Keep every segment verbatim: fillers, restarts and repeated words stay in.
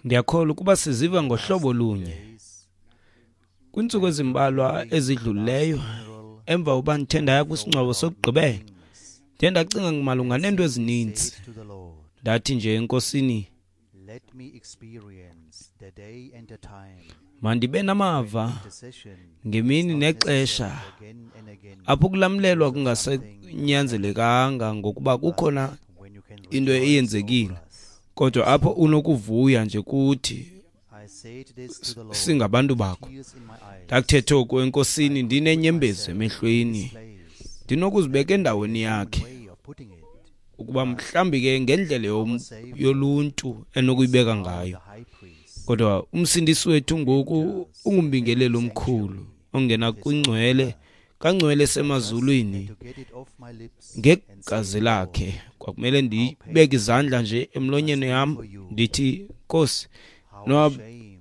Ndiyakholwa ukuba siziva ngohlobo lunye. Kwiintsuku ezimbalwa ezidlulileyo, emva uba ndithe ndaya kwisingcwabo sokugqibela, ndiye ndacinga malunga neento ezininzi. Ndathi nje eNkosini, mandibe namava ngemini nexesha apho ukulamlelwa kungasenyanzelekanga ngokuba kukhona into eyenzekile, kodwa apho unokuvuya nje kuthi singabantu bakho. Ndakuthetha oku eNkosini ndinenyembezi emehlweni, ndinokuzibeka endaweni yakhe ukuba mhlawumbi ke ngendlela yoluntu enokuyibeka ngayo. Kodwa umsindisi wethu ngoku ungumbingeleli omkhulu ongena kwingcwele kangcwele semazulwini ngegazi lakhe. Kwakumele ndibeke izandla nje emlonyeni yam ndithi, Nkosi, no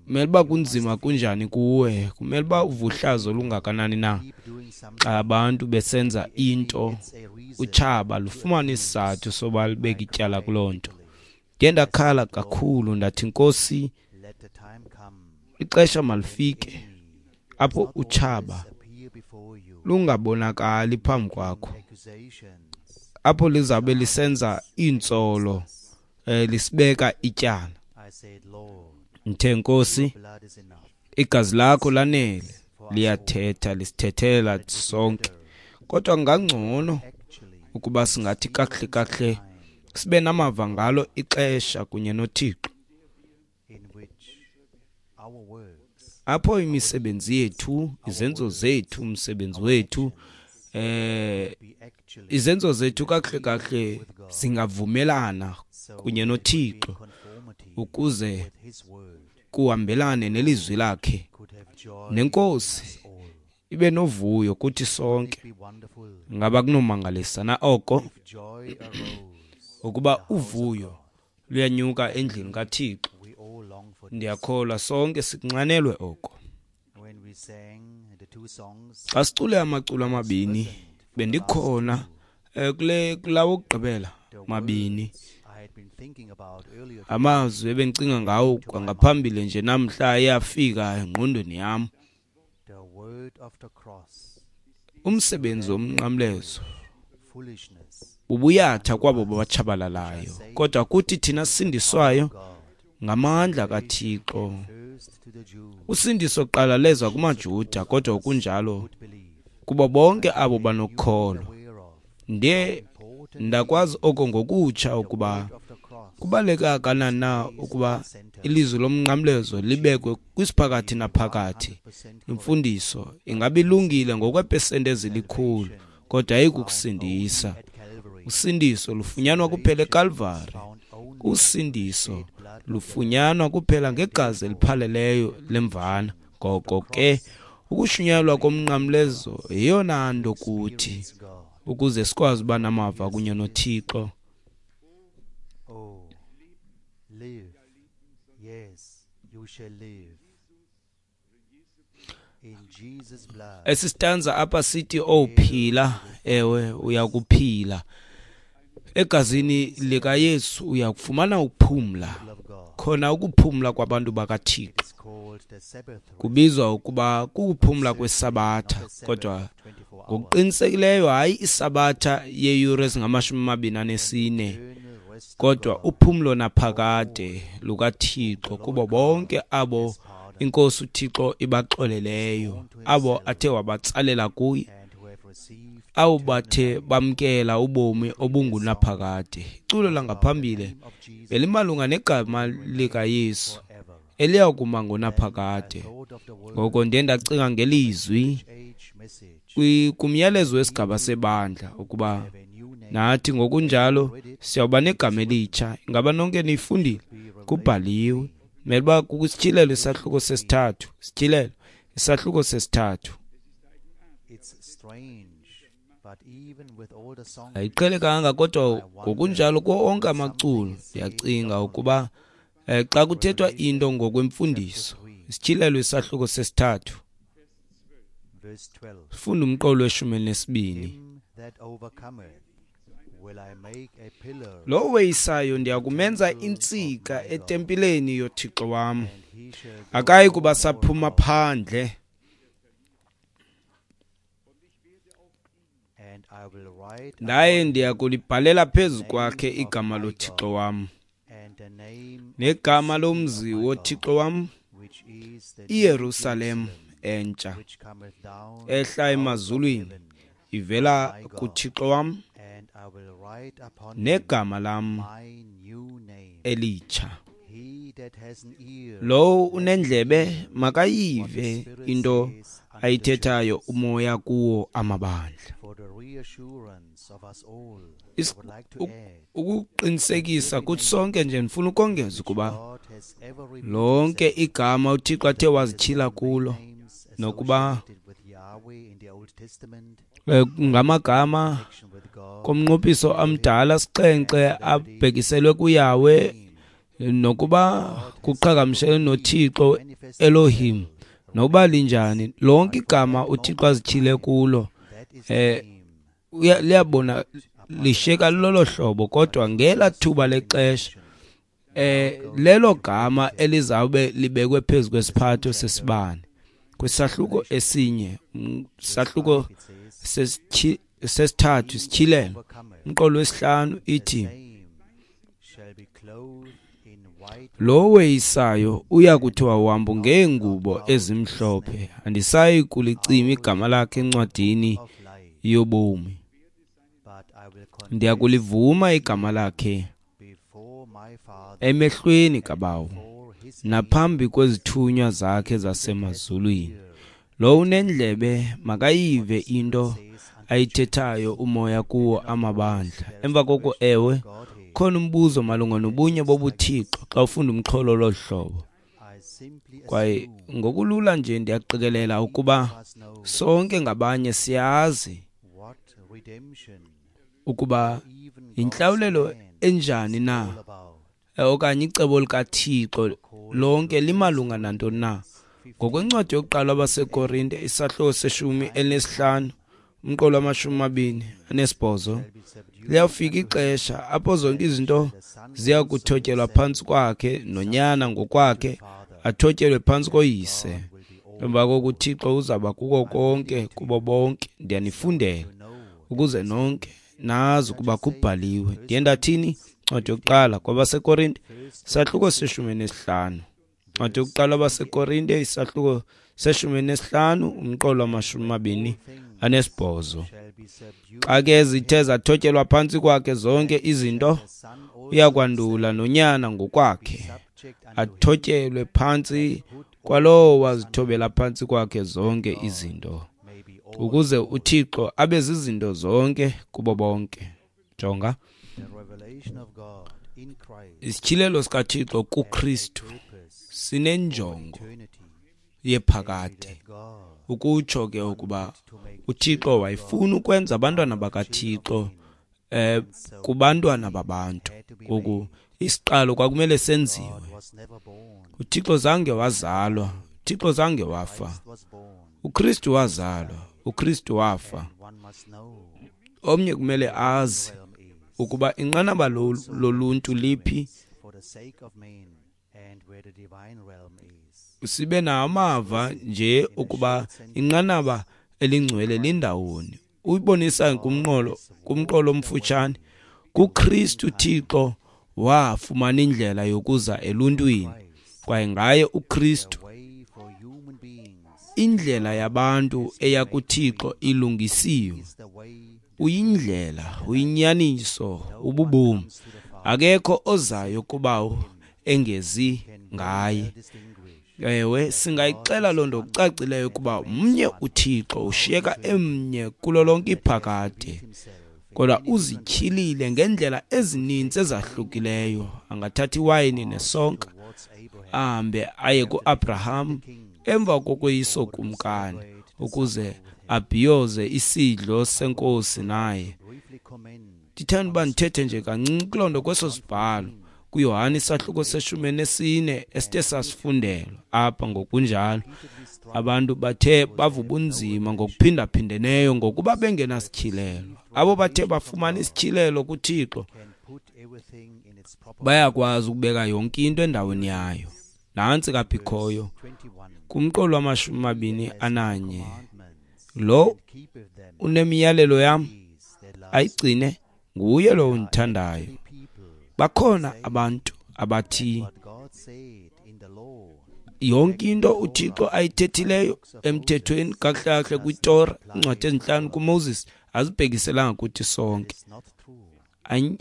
kumele uba kunzima kunjani kuwe, kumele uba uvuhlazo olungakanani na xa abantu besenza into utshaba lufumane isizathu soba libeke ityala kuloo nto. Ndiye ndakhala kakhulu ndathi, Nkosi, ixesha malifike apho utshaba lungabonakali phambi kwakho, apho lizabe lisenza iintsolo, eh, lisibeka ityala. Ndithe, Nkosi, igazi lakho lanele, liyathetha, lisithethela sonke. Kodwa kungangcono ukuba singathi kakuhle kakuhle sibe namava ngalo ixesha kunye noThixo, apho imisebenzi yethu, izenzo zethu, umsebenzi wethu, eh izenzo zethu kakuhle kakuhle zingavumelana kunye noThixo ukuze kuhambelane nelizwi lakhe, neNkosi ibe novuyo kuthi sonke. Ngaba kunomangalisa na oko ukuba uvuyo luyanyuka endlini kaThixo? Ndiyakholwa sonke sikunxanelwe oko. Xa sicule amaculo amabini, bendikhona kule kulawo okugqibela mabini. Amazwi ebendicinga ngawo kwangaphambili nje namhla ayafika engqondweni yam. Umsebenzi womnqamlezo bubuyatha kwabo batshabalalayo, kodwa kuthi thina sindiswayo ngamandla kaThixo. Usindiso kuqala leza kumaJuda, kodwa kunjalo kubo bonke abo banokholo. Ndiye ndakwazi oko ngokutsha ukuba kubaluleke kangakanani na ukuba ilizwi lomnqamlezo libekwe kwisiphakathi naphakathi. Imfundiso ingabe ilungile ngokweepesenti ezilikhulu, kodwa ayikukusindisa. Usindiso lufunyanwa kuphela eKalvari. Usindiso lufunyanwa kuphela ngegazi eliphaleleyo lemvana. Ngoko ke ukushunyayelwa komnqamlezo yeyona nto kuthi ukuze sikwazi uba namava kunye noThixo. Oh, live. Yes, you shall live. In Jesus' blood. Esi stanza apha sithi, oh phila, ewe uyakuphila. Egazini likaYesu uyakufumana ukuphumla, khona ukuphumla kwabantu bakaThixo. It's called the Sabbath rest. Kubizwa ukuba kukuphumla kwesabatha, kodwa ngokuqinisekileyo hayi isabatha yeeyure ezingamashumi amabini anesine, Eternal rest of kodwa God. uphumlo naphakade lukaThixo kubo bonke abo iNkosi uThixo ibaxoleleyo, abo athe wabatsalela kuye, And who have received abo bathe bamkela ubomi obungunaphakade. Iculo langaphambili the name of Jesus belimalunga negama likaYesu forever. eliya kuma ngonaphakade. Thought of the word Ngoko ndiye ndacinga ngelizwi age message. kwi- kumyalezo wesigaba sebandla ukuba Have a new name. nathi ngokunjalo siyawuba negama elitsha. Ingaba nonke niyifundile? Kubhaliwe. Mele uba kukwisityhilelo isahluko sesithathu. Sityhilelo isahluko sesithathu. It's strange, but even with all the songs, Ayiqhelekanga, kodwa ngokunjalo kuwo onke amaculo ndiyacinga ukuba eh, xa kuthethwa into ngokwemfundiso, isityhilelo isahluko sesithathu, verse twelve, funda umqolo weshumi elinesibini. Him that overcometh Lo weyisayo ndiya kumenza intsika etempileni yoThixo wam, akayi kuba saphuma phandle. Ndaye ndiya kulibhalela phezu kwakhe igama loThixo wam, negama lomzi woThixo wam, iYerusalem entsha, ehla emazulwini ivela kuThixo wam, negama lam elitsha. Lowo unendlebe makayive into ayithethayo umoya kuwo amabandla. Ukuqinisekisa kuthi sonke nje ndifuna ukongeza ukuba lonke igama uThixo athe wazityhila kulo, nokuba ngamagama komnqophiso amdala sixhenxe abhekiselwe kuYahweh, nokuba kuqhagamshelwe noThixo Elohim, nokuba linjani, lonke igama uThixo azityhile kulo eh liyabona lishiyeka lolo hlobo, kodwa ngela thuba lexesha eh lelo gama elizawube libekwe phezu kwesiphatho sesibane kwisahluko esinye, sahluko sesithathu isityhilelo umqolo wesihlanu ithi, lo weyisayo uya kuthiwa uhambo ngeengubo ezimhlophe, andisayi kulicima igama lakhe encwadini yobomi, ndiya kulivuma igama lakhe emehlweni kaBawo naphambi kwezithunywa zakhe zasemazulwini. Lo unendlebe makayive into ayithethayo umoya kuwo amabandla. Emva koko, ewe, khona umbuzo malunga nobunye bobuThixo xa ufunda umxholo lolu hlobo. Kwaye ngokulula nje ndiyaqikelela ukuba sonke ngabanye siyazi ukuba intlawulelo enjani na, okanye icebo likaThixo lonke limalunga nantoni na. Ngokwencwadi yokuqala abaseKorinte isahluko seshumi elinesihlanu umqolo wamashumi amabini anesibhozo, liyafika ixesha apho zonke izinto ziya kuthotyelwa phantsi kwakhe, noNyana ngokwakhe athotyelwe phantsi koYise. Emva koko uThixo uzaba kuko konke kubo bonke. Ndiyanifundela ukuze nonke nazi ukuba kubhaliwe. Ndiye ndathini? Ncwadi yokuqala kwabaseKorinte isahluko seshumi nesihlanu. Ncwadi yokuqala kwabaseKorinte isahluko seshumi nesihlanu umqolo wamashumi amabini anesibhozo. Xa ke zithe zathotyelwa phantsi kwakhe zonke izinto, uyakwandula noNyana ngokwakhe athotyelwe phantsi kwalowo wazithobela phantsi kwakhe zonke izinto, ukuze uThixo abe zizinto zonke kubo bonke. Jonga, isityhilelo sikaThixo kuKristu sinenjongo yephakade. Ukutsho ke ukuba uThixo wayefuna ukwenza abantwana bakaThixo eh kubantwana babantu. Ngoku isiqalo kwakumele senziwe. uThixo zange wazalwa, uThixo zange wafa. uKristu wazalwa, uKristu wafa. Omnye kumele azi ukuba inqanaba loluntu liphi, sibe namava nje ukuba inqanaba elingcwele lindawoni. Uyibonisa kumnqolo kumqolo omfutshane, kuKristu Thixo wafumana indlela yokuza eluntwini, kwaye ngaye uKristu indlela yabantu eya kuThixo ilungisiwe. Uyindlela, uyinyaniso, ububomi. Akekho ozayo kubawo engezi ngaye. Ewe, singayixela loo nto kucacileyo ukuba mnye uThixo, ushiyeka emnye kulo lonke iphakade, kodwa uzityhilile ngendlela ezininzi ezahlukileyo. Angathatha iwayini nesonka ahambe aye kuAbraham emva kokoyiso kumkani, ukuze abhiyoze isidlo senkosi naye. Ndithanda uba ndithethe nje kancinci kuloo nto kweso sibhalo, kuYohane isahluko seshumi nesine esithe sasifundelwa apha. Ngokunjalo abantu bathe bava ubunzima ngokuphindaphindeneyo ngokuba bengenasityhilelo. Abo bathe bafumana isityhilelo kuThixo bayakwazi ukubeka yonke into endaweni yayo. Nantsi kapha ikhoyo kumqolo wamashumi amabini ananye, lo unemiyalelo yam ayigcine, nguye lo undithandayo. Bakhona abantu abathi yonke into uThixo ayithethileyo emthethweni, kakuhle kakuhle kwiTora, iincwadi ezintlanu kuMoses, azibhekiselanga kuthi sonke.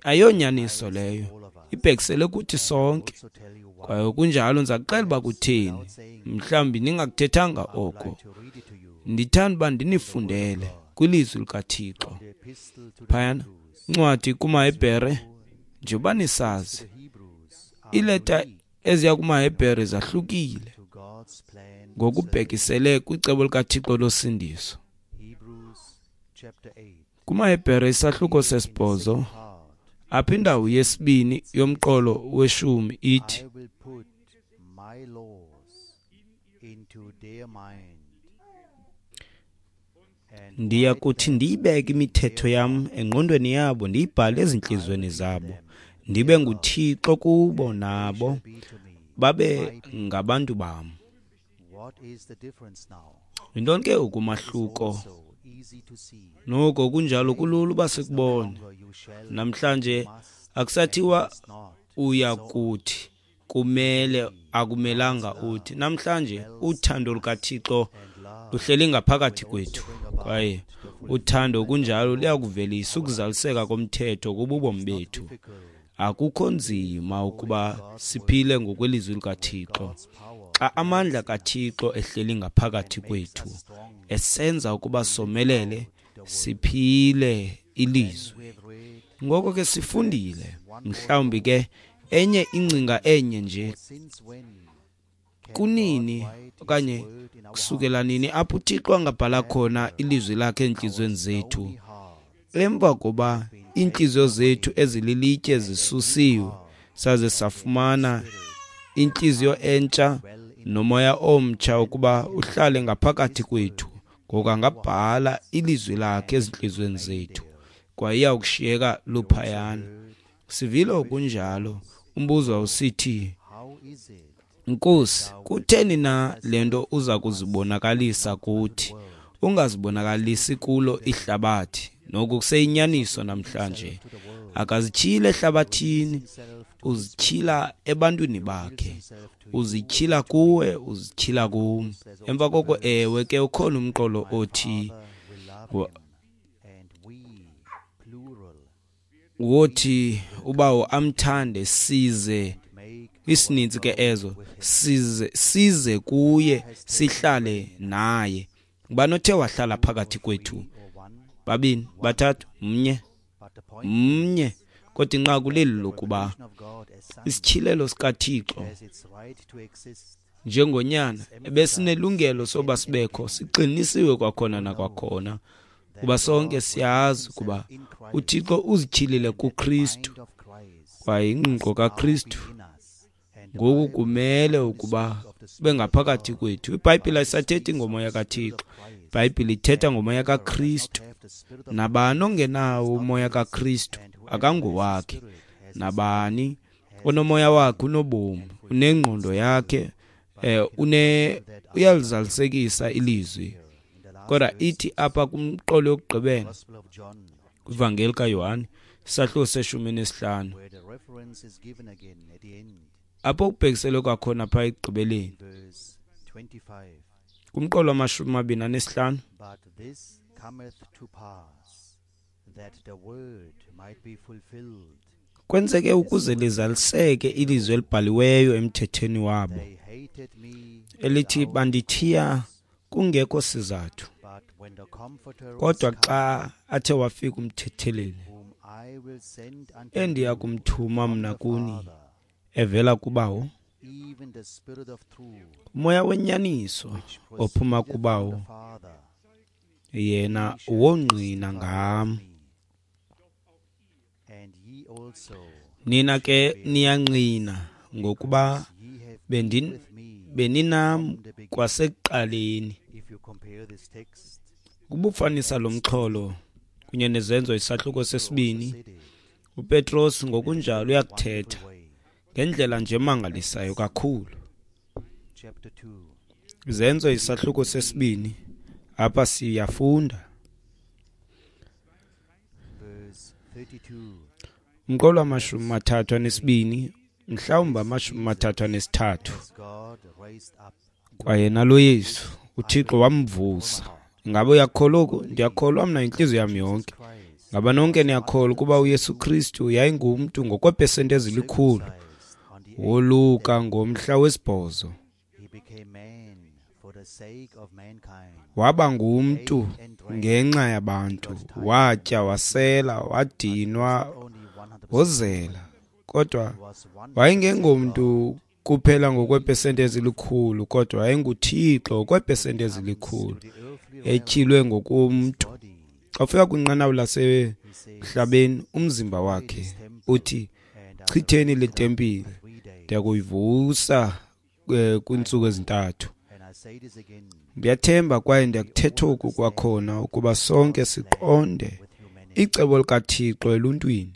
Ayonyaniso leyo, ibhekisele kuthi sonke. Kwaye kunjalo ndiza kuxela uba kutheni, mhlawumbi ningakuthethanga oko. Ndithanda uba ndinifundele kwilizwi likaThixo phayana incwadi kumaHebhere. Njengoba nisazi, iileta eziya kumaHebhere zahlukile ngokubhekisele kwicebo likaThixo losindiso. KumaHebhere isahluko sesibhozo, apha indawo yesibini yomqolo weshumi ithi, ndiya kuthi ndiyibeke imithetho yam engqondweni yabo, ndiyibhale ezintliziyweni zabo, ndibe nguThixo kubo, nabo babe ngabantu bam. Yintoni ke ukumahluko? Noko kunjalo kulula uba sikubone. Namhlanje akusathiwa uya kuthi, kumele, akumelanga uthi. Namhlanje uthando lukaThixo luhleli ngaphakathi kwethu, kwaye uthando kunjalo luyakuvelisa ukuzaliseka komthetho kububomi bethu. Akukho nzima ukuba siphile ngokwelizwi likaThixo xa amandla kaThixo ehleli ngaphakathi kwethu, esenza ukuba somelele siphile ilizwi. Ngoko ke sifundile, mhlawumbi ke enye ingcinga enye nje, kunini okanye kusukela nini apho uThixo angabhala khona ilizwi lakhe entliziyweni zethu, emva koba iintliziyo zethu ezililitye zisusiwe saze safumana intliziyo entsha nomoya omtsha ukuba uhlale ngaphakathi kwethu. Ngoku angabhala ilizwi lakhe ezintliziyweni zethu, kwaye iyawukushiyeka luphayana. Sivile kunjalo umbuzo awusithi, Nkosi, kutheni na le nto uza kuzibonakalisa kuthi, ungazibonakalisi kulo ihlabathi? Noku kuseyinyaniso namhlanje. Akazityhili ehlabathini, uzityhila ebantwini bakhe, uzityhila kuwe, uzityhila kum. Emva koko, ewe ke ukhona umqolo othi wothi ubawo amthande, size isininzi ke ezo, size size kuye, sihlale naye. Ngubani othe wahlala phakathi kwethu? Babini, bathathu, mnye, mnye. Kodwa inqaku leli lokuba isityhilelo sikaThixo njengonyana ebesinelungelo soba sibekho siqinisiwe kwakhona nakwakhona, kuba sonke siyazi ukuba uThixo uzityhilile kuKristu, kwaye ingqiqo kaKristu ngoku kumele ukuba ube ngaphakathi kwethu. IBhayibhile ayisathethi ngomoya kaThixo, iBhayibhile ithetha ngomoya kaKristu. Nabani ongenawo umoya kaKristu akangowakhe. Nabani onomoya wakhe unobomi, unengqondo yakhe, eh une uyalizalisekisa ilizwi. Kodwa ithi apha kumqolo yokugqibela kwivangeli kaYohane isahluko seshumi nesihlanu, apho kubhekiselwe kwakhona phaa ekugqibeleni kumqolo wamashumi amabini anesihlanu, kwenzeke ukuze lizaliseke ilizwi elibhaliweyo emthethweni wabo elithi, bandithiya kungekho sizathu. Kodwa xa athe wafika umthetheleli, endiya kumthuma mna kuni evela kubawo, umoya wenyaniso ophuma kubawo, yena wongqina ngam. Nina ke niyangqina ngokuba beninam kwasekuqaleni. Kubufanisa lo mxholo kunye neZenzo isahluko sesibini, uPetros ngokunjalo uyakuthetha ngendlela nje emangalisayo kakhulu. Izenzo isahluko sesibini, apha siyafunda. Umqolo wamashumi mathathu anesibini, mhlawumbi amashumi mathathu anesithathu. Kwaye nalo Yesu, uThixo wamvusa. Ingaba uyakholwa oku? Ndiyakholwa mna intliziyo yam yonke. Ngaba nonke niyakholwa ukuba uYesu Kristu yayingumntu ngokweepesenti ezilikhulu woluka ngomhla wesibhozo? Waba ngumntu ngenxa yabantu, watya, wasela, wadinwa, wozela. Kodwa wayengengomntu kuphela ngokweepesenti ezilikhulu, kodwa wayenguThixo ngokweepesenti ezilikhulu, etyhilwe ngokomntu. Xa ufika kwinqanaba lasemhlabeni, umzimba wakhe uthi, chitheni le tempile, ndiyakuyivusa kwiintsuku ezintathu. Ndiyathemba kwaye ndiyakuthetha oku kwakhona ukuba sonke siqonde icebo likaThixo eluntwini,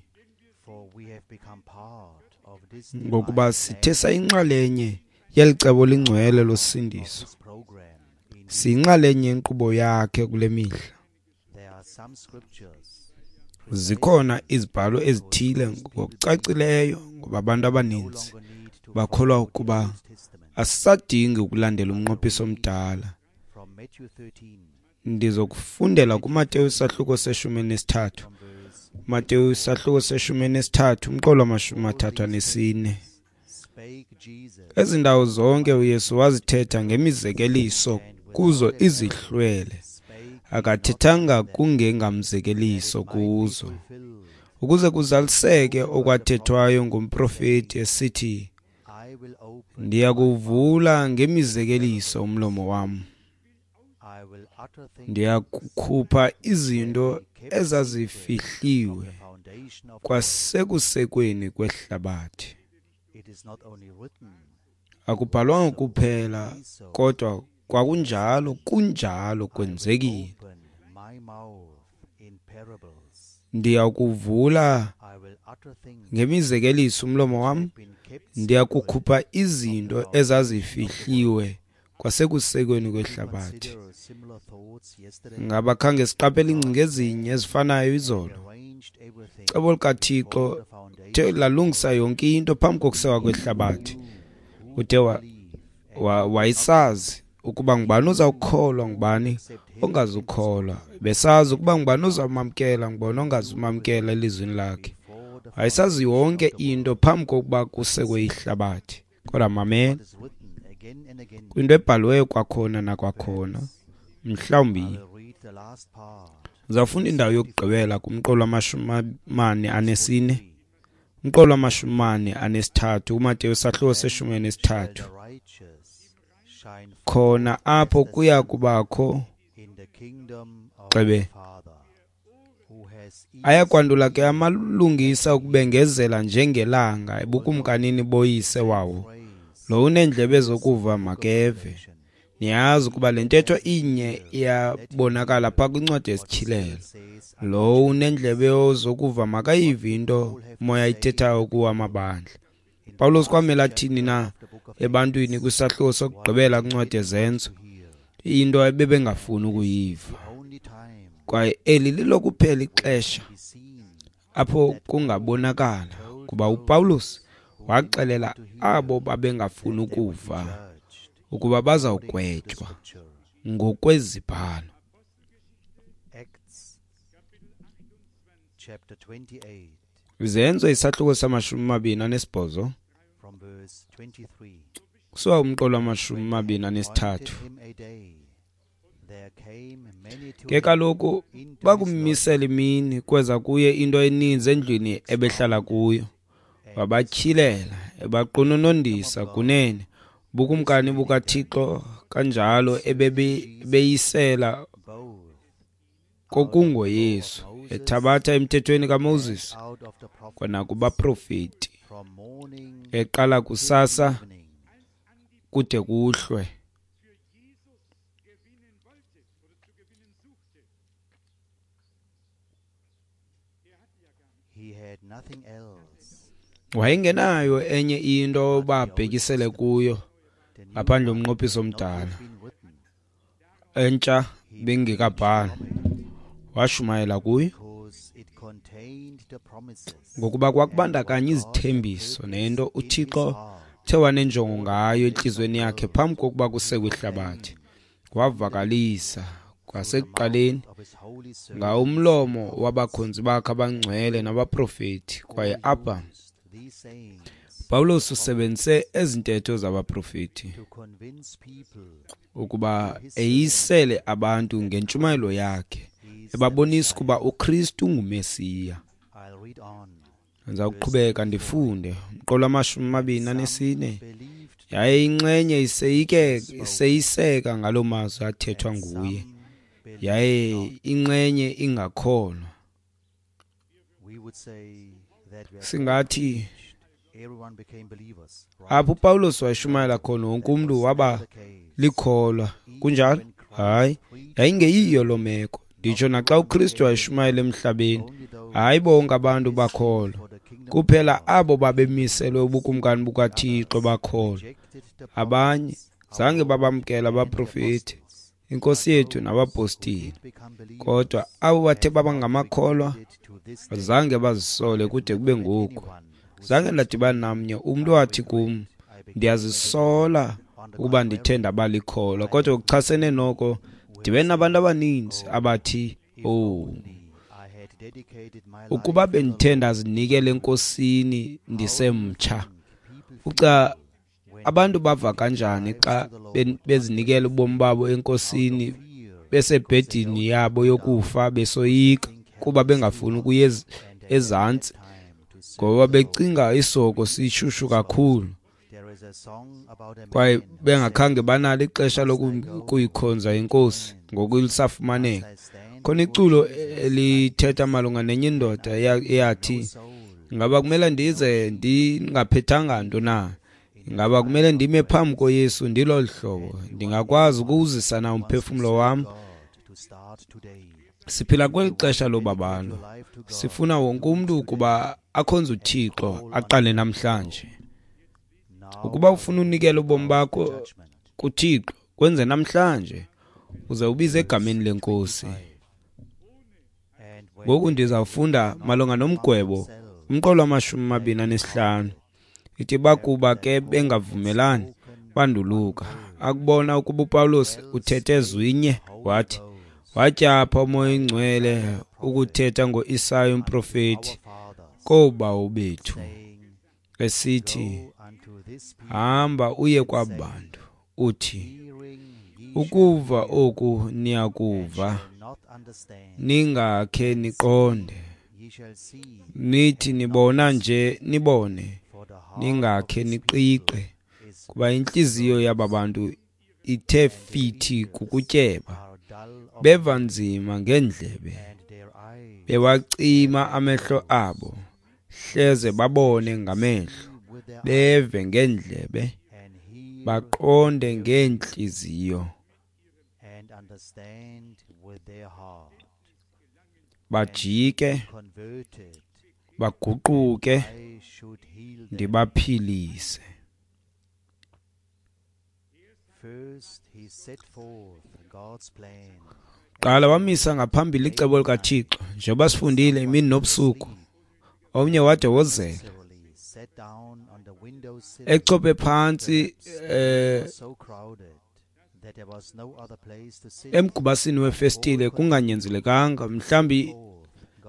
ngokuba sithe sayinxalenye yeli cebo lingcwele losindiso. Siyinxalenye yenkqubo yakhe kule mihla. Zikhona izibhalo ezithile ngokucacileyo, ngoba abantu abaninzi bakholwa ukuba asisadingi ukulandela umnqophiso omdala. Ndizokufundela kuMateyu isahluko seshumi elinesithathu. Mateyu isahluko seshumi elinesithathu, umqolo wamashumi mathathu anesine. Ezi ndawo zonke uYesu wazithetha ngemizekeliso kuzo izihlwele, akathethanga kungengamzekeliso kuzo, ukuze kuzaliseke okwathethwayo ngumprofeti esithi, ndiyakuvula ngemizekeliso umlomo wam, ndiyakukhupha izinto ezazifihliwe kwasekusekweni kwehlabathi. Akubhalwanga kuphela, kodwa kwakunjalo, kunjalo kwenzekile. Ndiyakuvula ngemizekeliso umlomo wam, ndiyakukhupha izinto ezazifihliwe kwasekusekweni kwehlabathi. Ngaba khange siqaphele iingcinga ezinye ezifanayo izolo? Icebo likaThixo the lalungisa yonke into phambi kokusekwa kwehlabathi. Uthe wayesazi ukuba ngubani ozawukholwa, ngubani ongazukholwa. Besazi ukuba ngubani ozawumamkela, ngubani ongazumamkela elizwini lakhe. Wayesazi yonke into phambi kokuba kusekwe ihlabathi. Kodwa mamela, kwinto ebhaliweyo kwakhona nakwakhona, mhlawumbi ndizawufunda indawo yokugqibela kumqolo wamashumi mane anesine, umqolo wamashumi mane anesithathu, uMateyu isahluko seshumi elinesithathu. Khona apho kuya kubakho xebe. Ayakwandula ke amalungisa ukubengezela njengelanga ebukumkanini boyise wawo. Lo uneendlebe zokuva makeve. Niyazi ukuba le ntetho inye iyabonakala phaa kwincwadi yesiTyhilelo. Lo uneendlebe zokuva makayive into umoya ayithethayo kuwo amabandla. Pawulos kwamele athini na ebantwini kwisahluko sokugqibela kwincwadi yeZenzo? Into ebebengafuni ukuyiva. Kwaye eli lilokuphela ixesha apho kungabonakala kuba uPawulos waxelela abo babengafuni ukuva ukuba bazawugwetywa ngokwezibhalo. Izenzo isahluko samashumi mabini anesibhozo kusuka kumqolo wamashumi mabini anesithathu. Ke kaloku bakummisela imini, kweza kuye into eninzi endlwini ebehlala kuyo. Wabatyhilela, ebaqononondisa kunene bukumkani bukaThixo, kanjalo ebebeyisela kokungoYesu. Ethabatha emthethweni kaMoses kwanakubaprofeti, eqala kusasa kude kuhlwe. Wayengenayo enye into babhekisele kuyo ngaphandle umnqophiso omdala, entsha bengekabhalwa. Washumayela kuyo ngokuba kwakubandakanya izithembiso nento uThixo the wanenjongo ngayo entliziyweni yakhe phambi kokuba kusekwe ihlabathi. Wavakalisa kwasekuqaleni ngawumlomo wabakhonzi bakhe abangcwele nabaprofeti. Kwaye apha Pawulos usebenzise ezi ntetho zabaprofeti ukuba eyisele abantu ngentshumayelo yakhe, ebabonisa ukuba uKristu nguMesiya. Ndiza kuqhubeka ndifunde umqolo wamashumi amabini anesine. Yaye inxenye iseyiseka ngaloo mazwi athethwa nguye, yaye inxenye ingakholwa. Singathi apho uPawulos wayeshumayela khona wonke umntu waba likholwa. Kunjalo? Hayi, yayingeyiyo loo meko. Nditsho naxa uKristu wayeshumayela emhlabeni, hayi bonke abantu bakholwa. Kuphela abo babemiselwe ubukumkani bukaThixo bakholwa. Abanye zange babamkela abaprofeti, iNkosi yethu nabapostile. Kodwa abo bathe baba ngamakholwa zange bazisole kude kube ngoku. Zange ndadibana namnye umntu wathi kum, ndiyazisola ukuba ndithe ndaba likholwa. Kodwa ngokuchasene noko ndibe nabantu abaninzi abathi, oh, ukuba bendithe ndazinikela eNkosini ndisemtsha. Uca abantu bava kanjani xa bezinikela ubomi babo eNkosini besebhedini yabo yokufa, besoyika kuba bengafuni ukuya ezantsi ngoba becinga isoko sishushu kakhulu, kwaye bengakhange banalo ixesha lokuyikhonza iNkosi ngoku lisafumaneka. Khona iculo elithetha malunga nenye indoda eyathi, ngaba kumele ndize ndingaphethanga nto na? Ngaba kumele ndime phambi koYesu ndilolu hlobo? Ndingakwazi ukuwuzisa na umphefumlo wam? Siphila kweli xesha lobabalo. Sifuna wonke umntu ukuba akhonze uThixo aqale namhlanje. Ukuba ufuna unikela ubomi bakho kuThixo, kwenze namhlanje, uze ubize egameni leNkosi. Ngoku ndizawufunda malunga nomgwebo, umqolo wamashumi amabini anesihlanu. Ithi bakuba ke bengavumelani, banduluka. Akubona ukuba uPawulos uthethe zwinye, wathi, watyapha uMoya oyiNgcwele ukuthetha ngoIsaya umprofeti koobawo bethu, esithi, hamba uye kwabantu, uthi, ukuva oku niyakuva, ningakhe niqonde, nithi nibona nje nibone, ningakhe niqiqe, kuba intliziyo yaba bantu ithe fithi kukutyeba, beva nzima ngeendlebe, bewacima amehlo abo, hleze babone ngamehlo, beve ngeendlebe, baqonde ngeentliziyo, bajike, baguquke, ndibaphilise. Qala wamisa ngaphambili icebo likaThixo, njengoba sifundile imini nobusuku. Omnye wade wozela echophe phantsi eh emgubasini wefestile kunganyanzelekanga. Mhlawumbi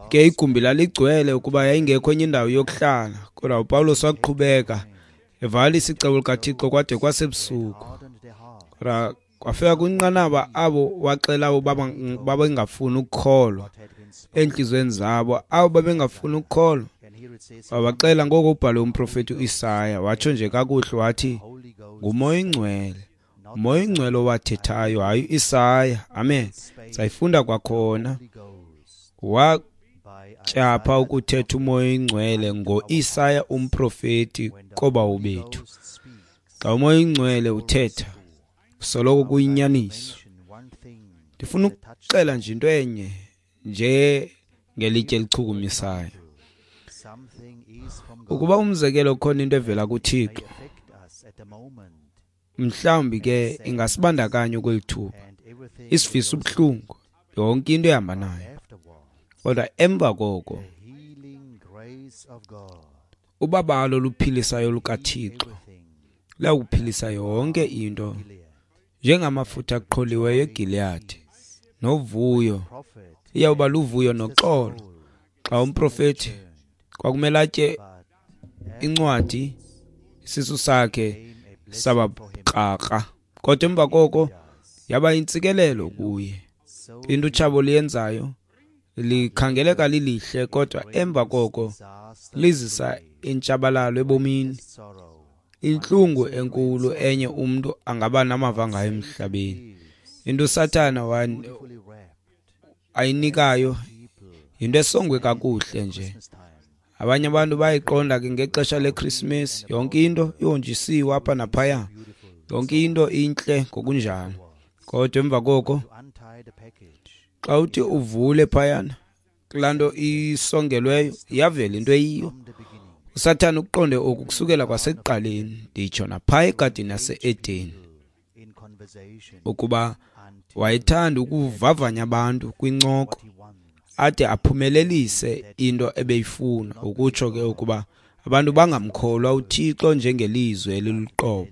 ke igumbi laligcwele ukuba yayingekho enye indawo yokuhlala, kodwa uPawulos waqhubeka evalisa icebo likaThixo kwade kwasebusuku. Kodwa kwafika kwinqanaba abo waxela abo babengafuni ukukholwa entliziyweni zabo, abo babengafuni ukukholwa wabaxela ngoko ubhale umprofeti uIsaya, watsho nje kakuhle wathi, nguMoya oyiNgcwele, uMoya oyiNgcwele owathethayo, hayi uIsaya. Amen. Sayifunda kwakhona. tyapha ukuthetha uMoya oyiNgcwele ngo-Isaya umprofeti koobawo bethu. Xa uMoya oyiNgcwele uthetha, soloko kuyinyaniso. Ndifuna ukuxela nje into enye nje ngelitye elichukumisayo. Ukuba umzekelo khona into evela kuThixo, mhlawumbi ke ingasibandakanya kweli thuba, isivisa ubuhlungu, yonke into ehamba nayo. Kodwa emva koko, ubabalo oluphilisayo lukaThixo luyawuphilisa yonke into, njengamafutha aqholiweyo eGiliyadi novuyo. Iyawuba luvuyo noxolo xa umprofeti kwakumele atye incwadi, isisu sakhe saba krakra, kodwa emva koko yaba yintsikelelo kuye. Into utshabo liyenzayo likhangeleka lilihle, kodwa emva koko lizisa intshabalalo ebomini, intlungu enkulu enye umntu angaba namava ngayo emhlabeni. Into uSathana ayinikayo yinto esongwe kakuhle nje. Abanye abantu bayayiqonda ke ngexesha leKrismesi, yonke into ihonjisiwe apha naphaya, yonke into intle ngokunjalo. Kodwa emva koko xa uthi uvule phayana kulaa nto isongelweyo, iyavela into eyiyo. uSathana ukuqonde oku kusukela kwasekuqaleni, nditsho naphaya egadini yase-Edeni, ukuba wayethanda ukuvavanya abantu kwincoko ade aphumelelise into ebeyifuna, ukutsho ke ukuba abantu bangamkholwa uThixo njengelizwi eliluqobo,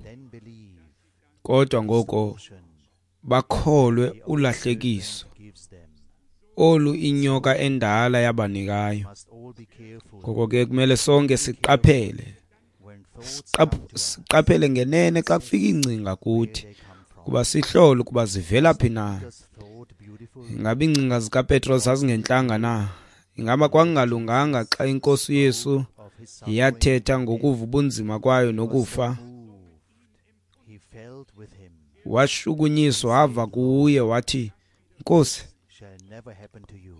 kodwa ngoko bakholwe ulahlekiso olu inyoka endala yabanikayo. Ngoko ke kumele sonke siqaphele, siqaphele ngenene xa kufika iingcinga kuthi, kuba sihlole ukuba zivela phi na. Ingaba iingcinga zikaPetros zazingentlanga na? Ingaba kwakungalunganga xa iNkosi uYesu yathetha ngokuva ubunzima kwayo nokufa? Washukunyiswa wava kuye wathi, Nkosi,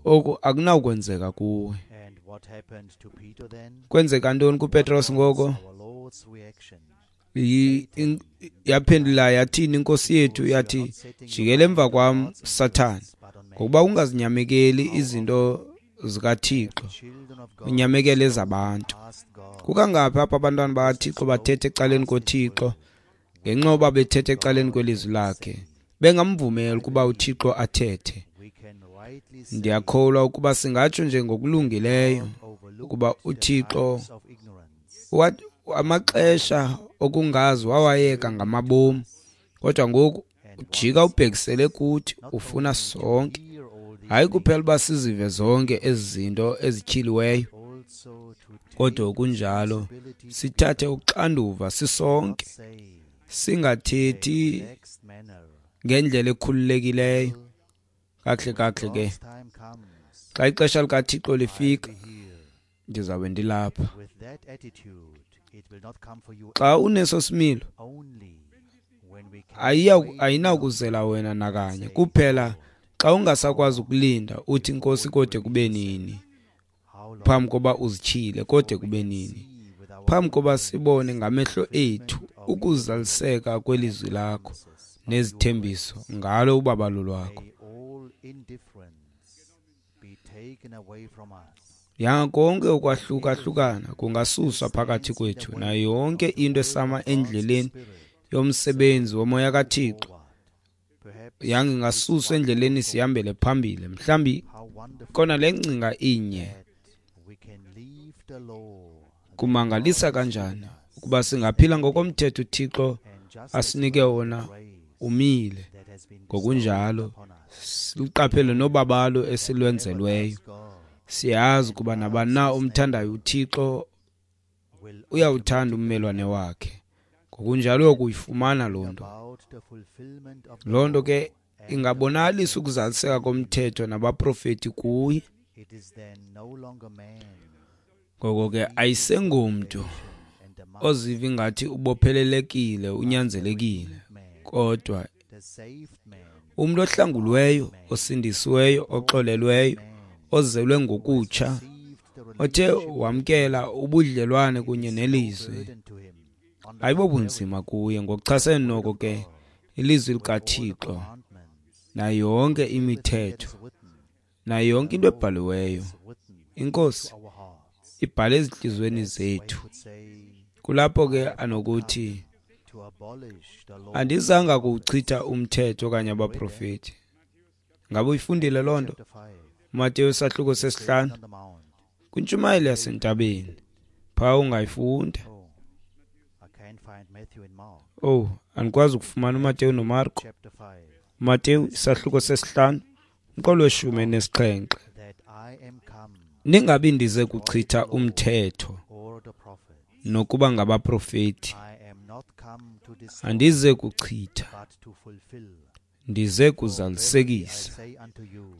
oku akunawukwenzeka kuwe. Kwenzeka ntoni kuPetros ngoko? Yaphendula yathini iNkosi yethu? Yathi, jikela emva kwam, Sathana, ngokuba ungazinyamekeli izinto zikaThixo, unyamekele ezabantu. Kukangaphi apha abantwana bakaThixo bathetha ecaleni koThixo ngenxa yoba bethetha ecaleni kwelizwi lakhe, bengamvumeli ukuba uThixo athethe? Ndiyakholwa ukuba singatsho nje ngokulungileyo ukuba uThixo amaxesha okungazi wawayeka ngamabomu, kodwa ngoku ujika ubhekisele kuthi, ufuna sonke, hayi kuphela uba sizive zonke ezi zinto ezityhiliweyo, kodwa kunjalo sithathe uxanduva sisonke, singathethi ngendlela ekhululekileyo. Kakuhle kakuhle ke, xa ixesha likaThixo lifika, ndizawube ndilapha. Xa uneso similo, ayinakuzela wena nakanye, kuphela xa ungasakwazi ukulinda uthi Nkosi kode kube nini, phambi koba uzityhile, kode kube nini, phambi koba sibone ngamehlo ethu ukuzaliseka kwelizwi lakho nezithembiso ngalo ubabalo lwakho. Yanga konke ukwahlukahlukana kungasuswa phakathi kwethu, nayo yonke into esama endleleni yomsebenzi womoya kaThixo yanga ingasuswa endleleni sihambele phambili. Mhlawumbi kona le ngcinga inye, kumangalisa kanjani ukuba singaphila ngokomthetho uThixo asinike wona umile, ngokunjalo siluqaphele nobabalo esilwenzelweyo. Siyazi ukuba nabani na omthandayo uThixo uyawuthanda ummelwane wakhe, ngokunjalo uyakuyifumana loo nto. Loo nto ke ingabonakalisa ukuzaliseka komthetho nabaprofeti kuye. Ngoko ke ayisengomntu oziva ingathi ubophelelekile, unyanzelekile, kodwa umntu ohlangulweyo, osindisiweyo, oxolelweyo, ozelwe ngokutsha, othe wamkela ubudlelwane kunye nelizwi, ayibobunzima kuye. Ngokuchasene noko ke ilizwi likaThixo nayo yonke imithetho nayo yonke into ebhaliweyo, iNkosi ibhale ezintliziyweni zethu. Kulapho ke anokuthi, andizanga kuwuchitha umthetho okanye abaprofeti. Ngabe uyifundile loo nto? Mateyu isahluko sesihlanu kwintshumayelo yasentabeni, phaa ungayifunda. Oh, andikwazi ukufumana uMateyu noMarko. Mateyu isahluko sesihlanu umqolo weshumi nesixhenxe. Ningabi ndize kuchitha umthetho nokuba ngabaprofeti. Andize kuchitha, ndize kuzalisekisa.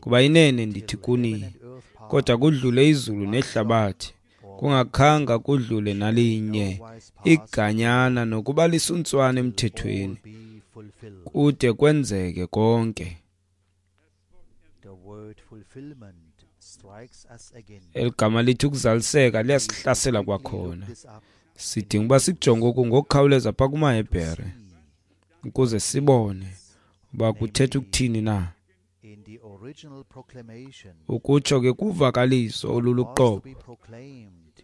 Kuba inene ndithi kuni, kodwa kudlule izulu nehlabathi, kungakhanga kudlule nalinye iganyana nokuba lisuntswana emthethweni, kude kwenzeke konke. Eligama lithi ukuzaliseka liyasihlasela kwakhona. Sidinga uba sikujonge oku ngokukhawuleza phaa kumaHebhere ukuze sibone uba kuthetha ukuthini na. Ukutsho ke kuvakaliso oluluqobo,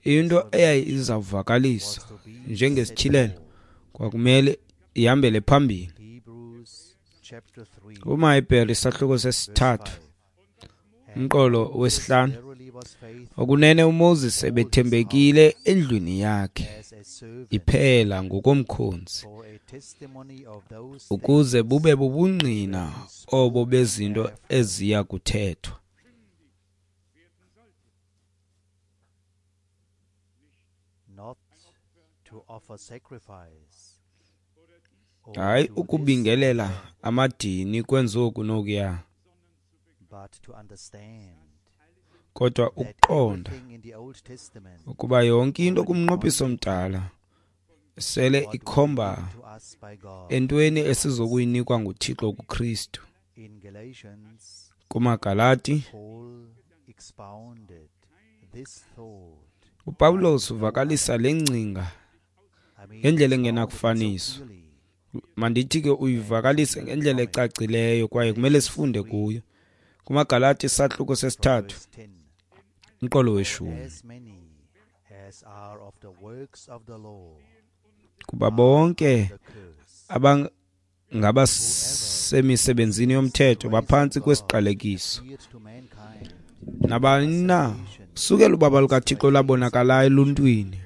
into eyayizawuvakaliswa njengesityhilelo kwakumele ihambele phambili. KumaHebhere isahluko sesithathu umqolo wesihlanu, okunene uMoses ebethembekile endlwini yakhe iphela ngokomkhonzi, ukuze bube bubungqina obo bezinto eziya kuthethwa. Hayi ukubingelela amadini kwenzoku nokuya, kodwa ukuqonda ukuba yonke into kumnqophiso omdala sele ikhomba entweni esizokuyinikwa nguThixo kuKristu. KumaGalati uPawulos uvakalisa le ngcinga ngendlela engenakufaniswa. Mandithi ke uyivakalise ngendlela ecacileyo kwaye kumele sifunde kuyo. KumaGalati isahluko sesithathu umqolo weshumi. Kuba bonke abangabasemisebenzini yomthetho baphantsi kwesiqalekiso. Nabani na sukela ubaba lukaThixo labonakalayo eluntwini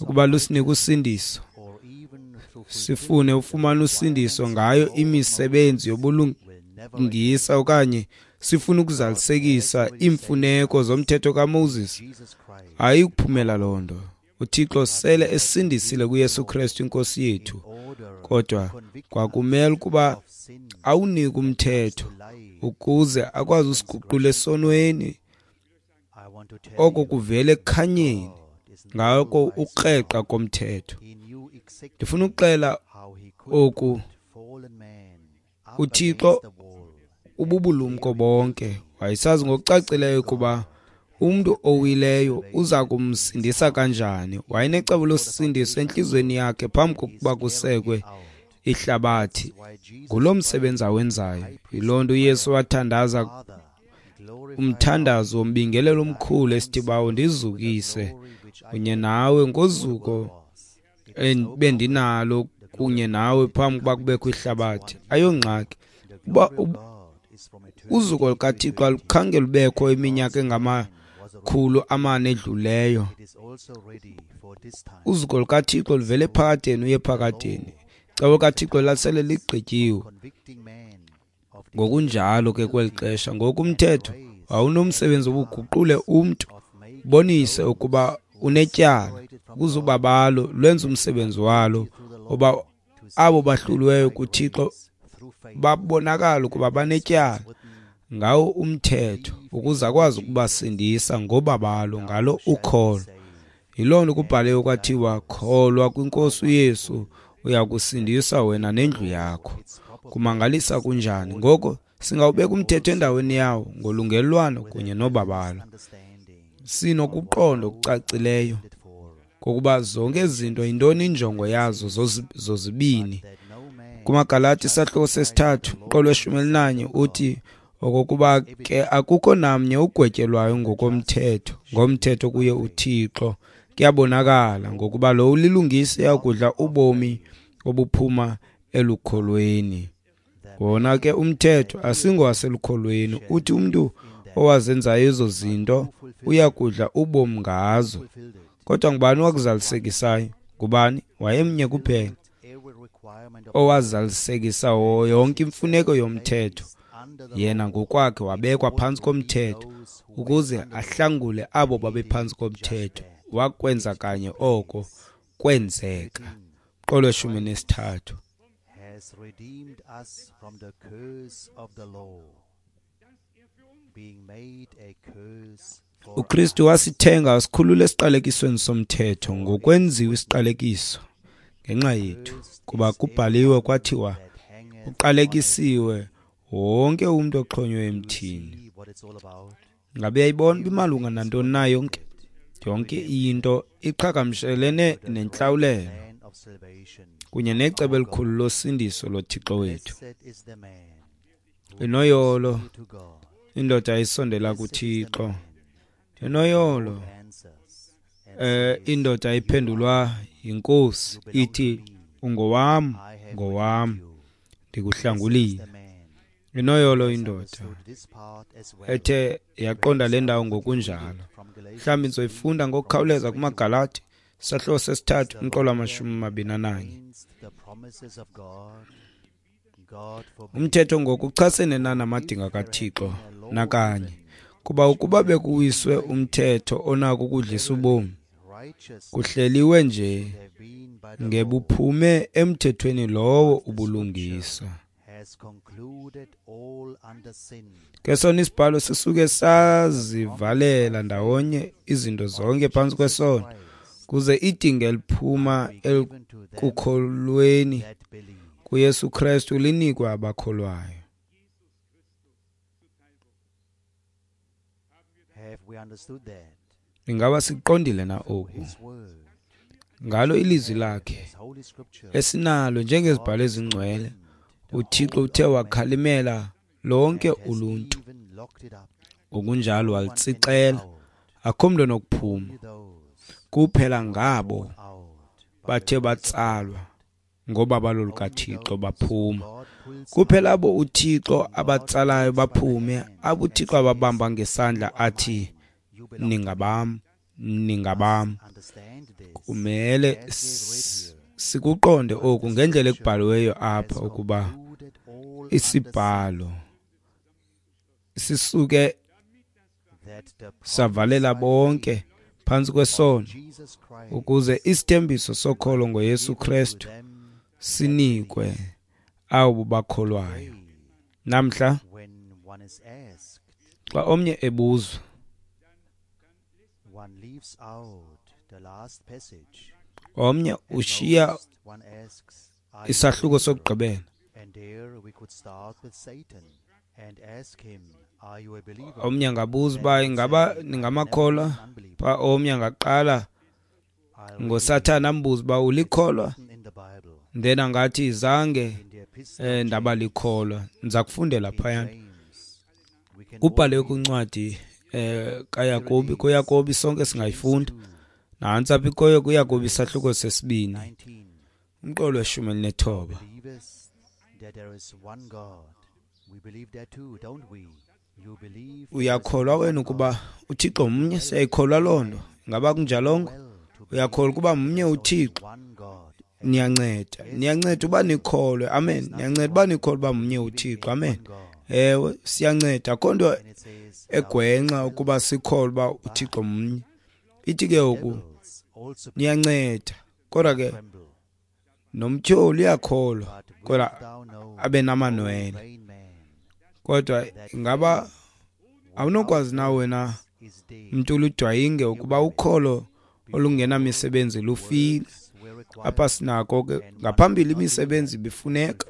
ukuba lusinike usindiso, sifune ufumana usindiso ngayo imisebenzi yobulungisa okanye sifuna ukuzalisekisa iimfuneko zomthetho kaMoses, hayi ukuphumela loo nto. uThixo sele esindisile kuYesu Kristu inkosi yethu, kodwa kwakumele ukuba awunike umthetho ukuze akwazi usiguqula esonweni oko kuvele ekukhanyeni ngako ukreqa komthetho. Ndifuna ukuxela oku, uThixo ububulumko bonke wayesazi ngokucacileyo ukuba umntu owileyo uza kumsindisa kanjani. Wayenecebo losindiso entliziyweni yakhe phambi kokuba kusekwe ihlabathi. Ngulo msebenzi awenzayo. Yiloo nto uYesu wathandaza umthandazo wombingelelo omkhulu esithi, Bawo, ndizukise kunye nawe ngozuko bendinalo kunye nawe phambi kokuba kubekho ihlabathi. Ayongxaki uba uzuko lukaThixo alukhange lubekho iminyaka engamakhulu amane edluleyo. Uzuko lukaThixo luvele ephakadeni uye ephakadeni. Icebo likaThixo lasele ligqityiwe. Ngokunjalo ke kweli xesha ngoku umthetho wawunomsebenzi wokuguqule umntu, ubonise ukuba unetyala, ukuze ubabalo lwenze umsebenzi walo, oba abo bahluliweyo kuThixo babonakala ukuba banetyala ngawo umthetho, ukuze akwazi ukubasindisa ngobabalo ngalo ukholo. Yiloo nto kubhaliwe kwathiwa, kholwa kwinkosi uYesu, uya kusindiswa wena nendlu yakho. Kumangalisa kunjani? Ngoko Singawubeka umthetho endaweni yawo ngolungelelwano kunye nobabalo. Sinokuqonda okucacileyo kokuba zonke ezi zinto yintoni injongo yazo zozibini. KumaGalati isahluko sesithathu umqolo weshumi elinanye uthi okokuba ke akukho namnye ugwetyelwayo ngokomthetho, ngomthetho kuye uThixo kuyabonakala ngokuba lo ulilungisa uyakudla ubomi obuphuma elukholweni. Wona ke umthetho asingowaselukholweni, uthi umntu owazenzayo ezo zinto uyakudla ubomi ngazo. Kodwa ngubani owakuzalisekisayo? Ngubani? Wayemnye kuphela owazalisekisa yonke imfuneko yomthetho. Yena ngokwakhe wabekwa phantsi komthetho ukuze ahlangule abo babephantsi komthetho. Wakwenza kanye oko kwenzeka. Qolo weshumi nesithathu. Has redeemed us from the curse of the law, being made a curse for uKristu wasithenga wasikhulula esiqalekisweni somthetho ngokwenziwa isiqalekiso ngenxa yethu, kuba kubhaliwe kwathiwa uqalekisiwe wonke umntu oxhonywe emthini. Ngabe uyayibona uba imalunga nantoni na yonke? Yonke into iqhagamshelene nentlawulelo kunye necebo elikhulu losindiso loThixo wethu. Inoyolo indoda isondela kuThixo. Inoyolo eh indoda iphendulwa yiNkosi ithi ungowam, ngowam, ndikuhlangulile. Inoyolo indoda ethe yaqonda le ndawo ngokunjalo. Mhlawumbi nizoyifunda ngokukhawuleza kumaGalati isahluko sesithathu umqolo wamashumi amabini ananye. Umthetho ngokuchasene nanamadinga kaThixo nakanye, kuba ukuba bekuwiswe umthetho onako ukudlisa ubomi, kuhleliwe nje ngebuphume emthethweni lowo ubulungisa. Ke sona isibhalo sisuke sazivalela ndawonye izinto zonke phantsi kwesono, kuze idinga eliphuma ekukholweni kuYesu Kristu linikwe abakholwayo. Ingaba siqondile na oku? Ngalo ilizwi lakhe esinalo njengezibhalo ezingcwele, uThixo uthe wakhalimela lonke uluntu, ngokunjalo walitsixela, akho mntu onokuphuma, kuphela ngabo bathe batsalwa ngobabalo lukaThixo baphuma. Kuphela abo uThixo abatsalayo baphume, abo uThixo ababamba ngesandla athi ningabam, ningabam. Kumele sikuqonde oku ngendlela ekubhaliweyo apha, ukuba isibhalo sisuke savalela bonke phantsi kwesono, ukuze isithembiso sokholo ngoYesu Kristu sinikwe abo bakholwayo. Namhla xa omnye ebuzwa, omnye ushiya isahluko sokugqibela, omnye angabuza uba ingaba ningamakholwa, pha omnye angaqala ngoSathana ambuze uba ulikholwa, then angathi zange eh, ndaba likholwa. Ndiza kufundela phayana. Kubhaliwe kwincwadi eh kaYakobi, kuYakobi sonke singayifunda. Nantsi apha ikoyo kuYakobi isahluko sesibini umqolo weshumi elinethoba. Uyakholwa wena ukuba uThixo mnye? Siyayikholwa loo nto. Ingaba kunjalongo? Uyakholwa ukuba mnye uThixo? Niyanceda, niyanceda uba nikholwe. Amen. Niyanceda uba nikholwe uba mnye uThixo. Amen. Ewe, siyanceda. Akho nto egwenxa ukuba sikholwe uba uThixo mnye. Ithi ke oku niyanceda, kodwa ke nomtyholi uyakholwa, kodwa abe namanwele. Kodwa ingaba awunokwazi na wena mntu uludwayinge ukuba ukholo olungenamisebenzi lufile? Apha sinako ke ngaphambili imisebenzi ibifuneka,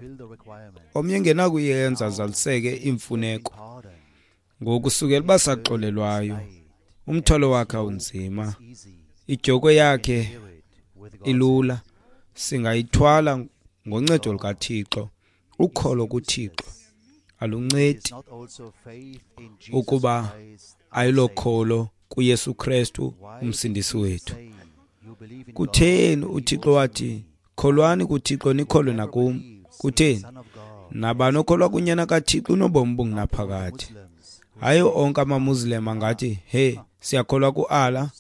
omnye engenakuyenza azaliseke iimfuneko. Ngoku sukela uba saxolelwayo, umthwalo wakhe awunzima, idyokhwe yakhe ilula, singayithwala ngoncedo lukaThixo. Ukholo kuThixo aluncedi ukuba ayilokholo kuYesu Kristu umsindisi wethu. Kutheni uThixo wathi kholwani kuThixo nikholwe nakum? Kutheni? Nabani okholwa kunyana kaThixo unobomi obungunaphakade. Hayi onke amaMuslim angathi hey siyakholwa ku-Allah.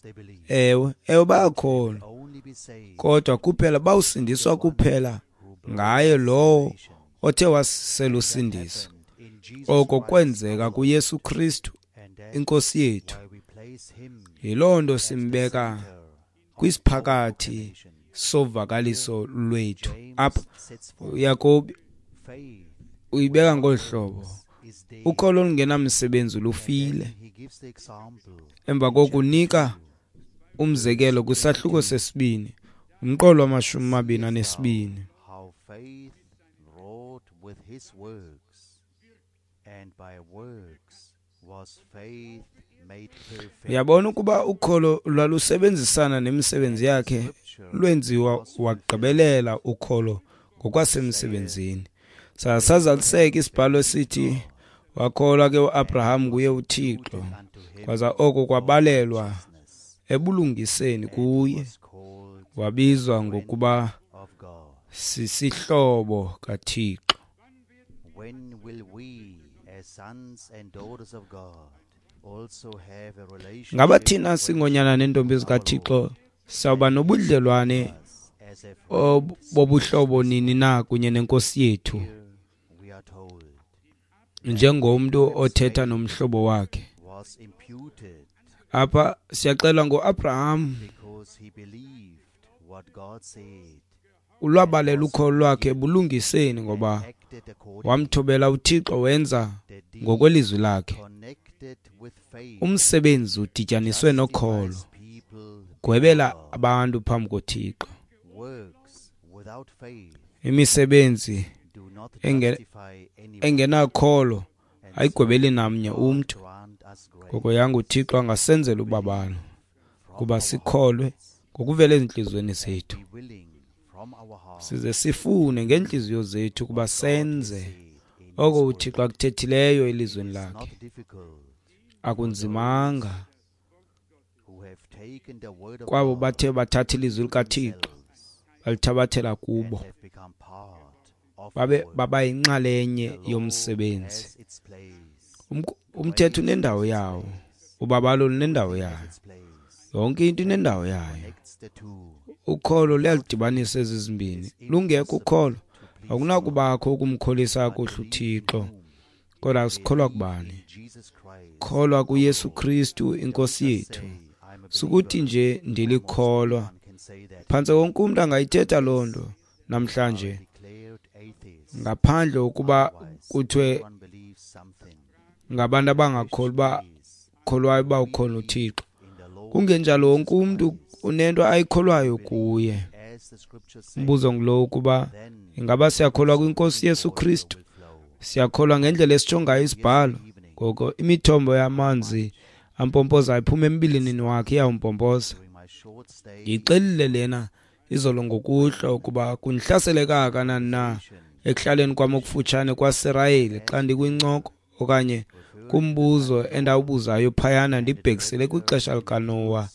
Ewe, ewe bayakholwa, kodwa kuphela bawusindiswa kuphela ngaye lowo othe waselusindiso. Oko kwenzeka kuYesu Kristu inkosi yethu. Yiloo nto simbeka kwisiphakathi sovakaliso lwethu. Apha uYakobi uyibeka ngolu hlobo: ukholo olungenamsebenzi lufile. Emva kokunika umzekelo kwisahluko sesibini, umqolo wamashumi amabini anesibini. Uyabona ukuba ukholo lwalusebenzisana nemisebenzi yakhe, lwenziwa wagqibelela ukholo ngokwasemsebenzini. Sasazaliseka isibhalo esithi wakholwa ke uAbraham nguye uThixo, kwaza oko kwabalelwa ebulungiseni kuye, wabizwa ngokuba sisihlobo kaThixo. Ngaba thina singonyana neentombi zikaThixo sawuba nobudlelwane bobuhlobo nini na kunye nenkosi yethu, njengomntu othetha nomhlobo wakhe? Apha siyaxelwa ngoAbraham, ulwabalela ukholo lwakhe ebulungiseni ngoba wamthobela uThixo, wenza ngokwelizwi lakhe. Umsebenzi udityaniswe nokholo, gwebela abantu phambi koThixo. Imisebenzi engenakholo ayigwebeli namnye umntu. Ngoko yanga uThixo angasenzela ubabalo kuba sikholwe ngokuvela ezintliziyweni zethu, size sifune ngeentliziyo zethu ukuba senze oko uThixo akuthethileyo elizweni lakhe. Akunzimanga kwabo bathe bathatha ilizwi likaThixo balithabathela kubo, babe baba yinxalenye yomsebenzi. Umthetho unendawo yawo, ubabalo lunendawo yayo, yonke into inendawo yayo. Ukholo luyalidibanisa ezi zimbini. Lungekho ukholo akunakubakho ukumkholisa kakuhle uThixo. Kodwa sikholwa kubani? Kholwa kuYesu Kristu inkosi yethu. Sukuthi nje ndilikholwa. Phantse wonke umntu angayithetha loo nto namhlanje, ngaphandle ukuba kuthiwe ngabantu abangakholwa kholwayo uba ukhona uThixo. Kungenjalo wonke umntu unento ayikholwayo kuye. Umbuzo ngulo ukuba ingaba siyakholwa kwinkosi Yesu Kristu? Siyakholwa ngendlela esitsho ngayo isibhalo. Ngoko imithombo yamanzi ampompozayo iphuma embilinini wakhe, iyawumpompoza. Ndiyixelile lena izolo ngokuhlwa ukuba kundihlasele kangakanani na ekuhlaleni kwam okufutshane kwaSirayeli xa ndikwincoko okanye kumbuzo endawubuzayo phayana ndibhekisele kwixesha likaNowa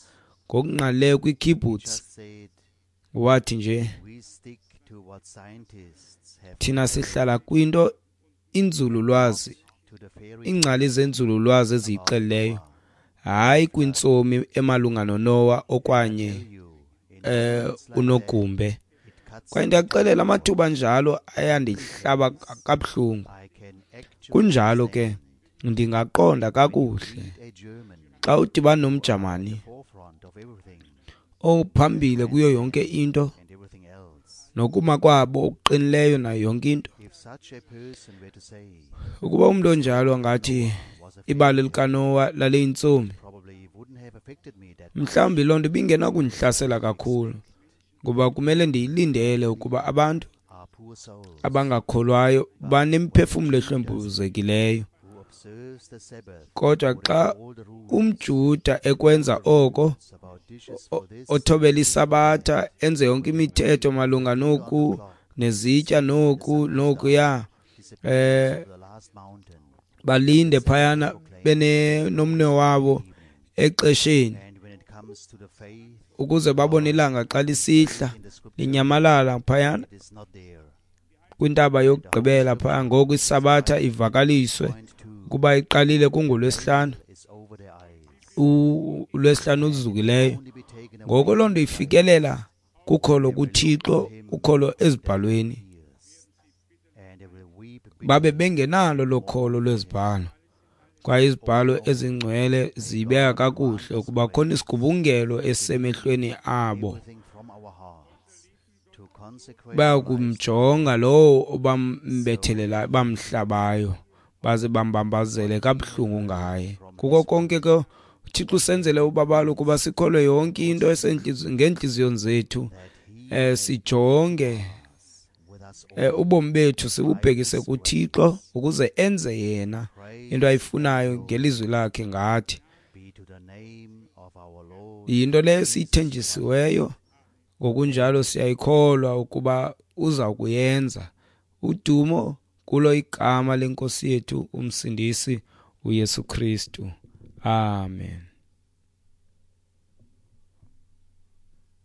ngokungqalileyo kwikibbutz. Wathi nje thina sihlala kwinto inzululwazi, iingcali zenzululwazi eziyixelileyo, hayi kwintsomi emalunga noNowa okanye eh unogumbe. Kwaye ndiyakuxelela, amathuba njalo ayandihlaba kabuhlungu. Kunjalo ke ndingaqonda kakuhle xa udibana nomJamani ophambili kuyo yonke into nokuma kwabo okuqinileyo nayo yonke into. Ukuba umntu onjalo angathi ibali likaNowa laliyintsomi, mhlawumbi loo nto ibingenakundihlasela kakhulu. Ngoba kumele ndiyilindele ukuba abantu are poor souls abangakholwayo banemphefumlo ehlwempuzekileyo. who observes the Sabbath Kodwa xa all the rules umJuda ekwenza oko, about dishes o- for this othobela isabatha, enze yonke imithetho malunga noku nezitya noku nokuya, disappears over the last mountain balinde phayana benomnwe wabo exesheni and when it comes to the faith ukuze babone ilanga xa lisihla in the scripture linyamalala phayana it is not there kwintaba yokugqibela phaya. Ngoku isabatha ivakaliswe point two ukuba iqalile kungolwesihlanu, is over their eyes u- ulwesihlanu oluzukileyo. only be taken away Ngoko loo nto ifikelela kukholo kuThixo, ukholo ezibhalweni. ears and they will weep Babe bengenalo lokholo lwezibhalo, kwaye izibhalo ezingcwele zibeka kakuhle ukuba khona isigubungelo esisemehlweni abo. everything from our hearts to consecrate Baya kumjonga lowo obambethelelayo, bamhlabayo, baze bambambazele kabuhlungu ngaye. Kuko konke ke uThixo usenzele ubabalo ukuba sikholwe yonke into esentlizi- ngeentliziyo zethu, that he um sijonge with us all eh, ubomi bethu sibubhekise kuThixo ukuze enze yena into ayifunayo ngelizwi lakhe ngathi. be to the name of our Lord Yinto leyo esiyithenjisiweyo, ngokunjalo siyayikholwa ukuba uza kuyenza. Udumo kulo igama lenkosi yethu umsindisi uYesu Kristu. Amen.